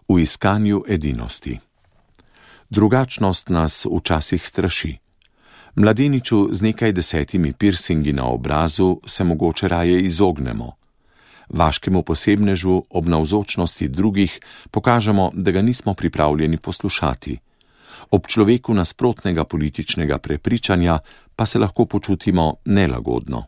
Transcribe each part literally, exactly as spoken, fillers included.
V iskanju edinosti. Drugačnost nas včasih straši. Mladeniču z nekaj desetimi piercingi na obrazu se mogoče raje izognemo. Vaškemu posebnežu ob navzočnosti drugih pokažemo, da ga nismo pripravljeni poslušati. Ob človeku nasprotnega političnega prepričanja pa se lahko počutimo nelagodno.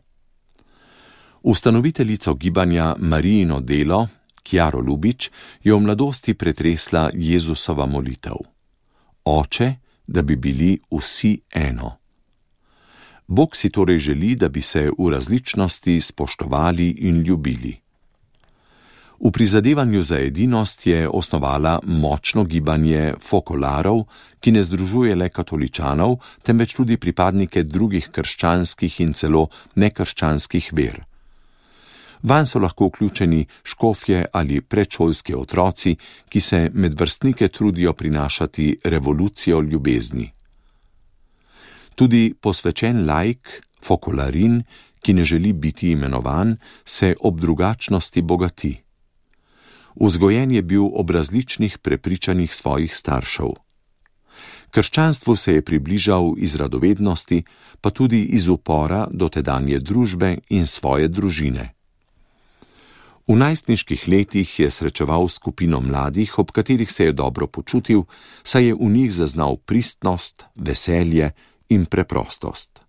Ustanoviteljico gibanja Marijino delo, Kjaro Ljubič, je v mladosti pretresla Jezusova molitev. Oče, da bi bili vsi eno. Bog si torej želi, da bi se v različnosti spoštovali in ljubili. V prizadevanju za edinost je osnovala močno gibanje fokolarov, ki ne združuje le katoličanov, temveč tudi pripadnike drugih krščanskih in celo nekrščanskih ver. Vanj so lahko vključeni škofje ali predšolski otroci, ki se med vrstnike trudijo prinašati revolucijo ljubezni. Tudi posvečen laik, fokolarin, ki ne želi biti imenovan, se ob drugačnosti bogati. Vzgojen je bil ob različnih prepričanjih svojih staršev. Krščanstvu se je približal iz radovednosti, pa tudi iz upora do tedanje družbe in svoje družine. V najstniških letih je srečeval skupino mladih, ob katerih se je dobro počutil, saj je v njih zaznal pristnost, veselje in preprostost.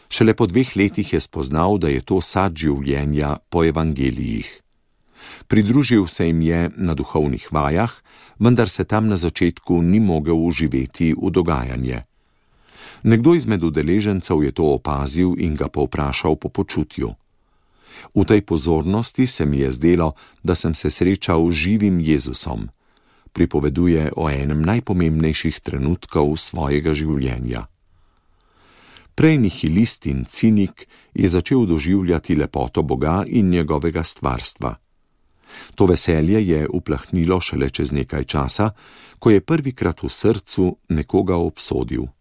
Šele po dveh letih je spoznal, da je to sad življenja po evangelijih. Pridružil se jim je na duhovnih vajah, vendar se tam na začetku ni mogel uživeti v dogajanje. Nekdo izmed udeležencev je to opazil in ga povprašal po počutju. V tej pozornosti se mi je zdelo, da sem se srečal z živim Jezusom, pripoveduje o enem najpomembnejših trenutkov svojega življenja. Prej nihilist in cinik je začel doživljati lepoto Boga in njegovega stvarstva. To veselje je uplahnilo šele čez nekaj časa, ko je prvikrat v srcu nekoga obsodil.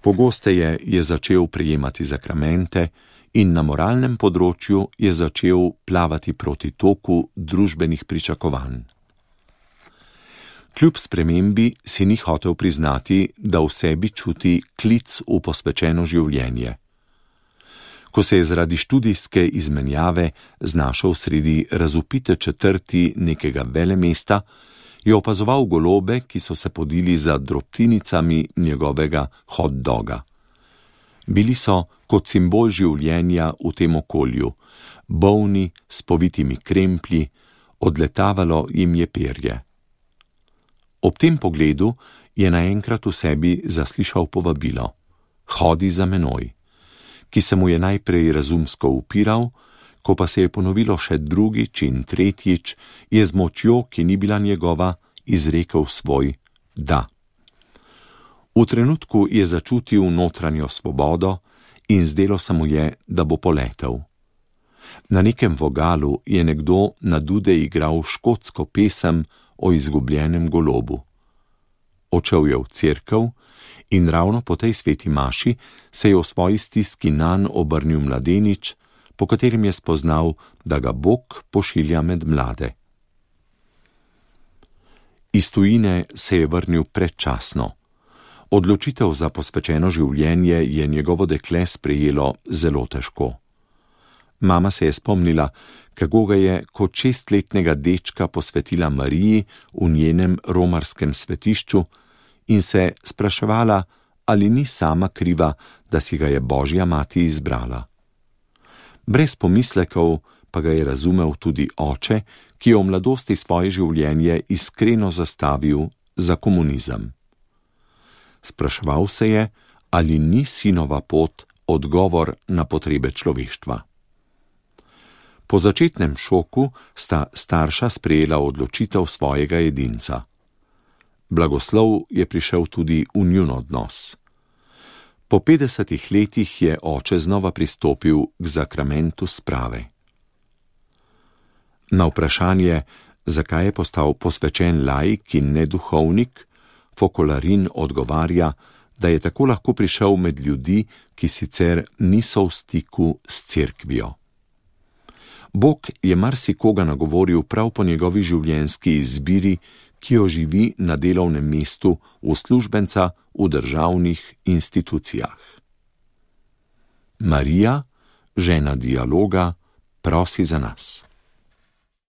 Pogosteje je začel prejemati zakramente in na moralnem področju je začel plavati proti toku družbenih pričakovanj. Kljub spremembi si ni hotel priznati, da v sebi čuti klic v posvečeno življenje. Ko se je zaradi študijske izmenjave znašel sredi razvpite četrti nekega velemesta, je opazoval golobe, ki so se podili za drobtinicami njegovega hot doga. Bili so kot simbol življenja v tem okolju, bolni, s povitimi kremplji, odletavalo jim je perje. Ob tem pogledu je naenkrat v sebi zaslišal povabilo: Hodi za menoj, ki se mu je najprej razumsko upiral, ko pa se je ponovilo še drugič in tretjič, je z močjo, ki ni bila njegova, izrekel svoj da. V trenutku je začutil notranjo svobodo in zdelo se mu je, da bo poletel. Na nekem vogalu je nekdo na dude igral škotsko pesem o izgubljenem golobu. Odšel je v cerkev in ravno po tej sveti maši se je v svoji stiski nanj obrnil mladenič, po katerem je spoznal, da ga Bog pošilja med mlade. Iz tujine se je vrnil predčasno. Odločitev za posvečeno življenje je njegovo dekle sprejelo zelo težko. Mama se je spomnila, kako ga je kot šestletnega dečka posvetila Mariji v njenem romarskem svetišču in se spraševala, ali ni sama kriva, da si ga je Božja mati izbrala. Brez pomislekov pa ga je razumel tudi oče, ki je v mladosti svoje življenje iskreno zastavil za komunizem. Spraševal se je, ali ni sinova pot odgovor na potrebe človeštva. Po začetnem šoku sta starša sprejela odločitev svojega edinca. Blagoslov je prišel tudi v njun odnos. Po petdesetih letih je oče znova pristopil k zakramentu sprave. Na vprašanje, zakaj je postal posvečen laik in ne duhovnik, Fokolarin odgovarja, da je tako lahko prišel med ljudi, ki sicer niso v stiku s cerkvijo. Bog je marsikoga nagovoril prav po njegovi življenjski izbiri, ki jo živi na delovnem mestu uslužbenca v državnih institucijah. Marija, žena dialoga, prosi za nas.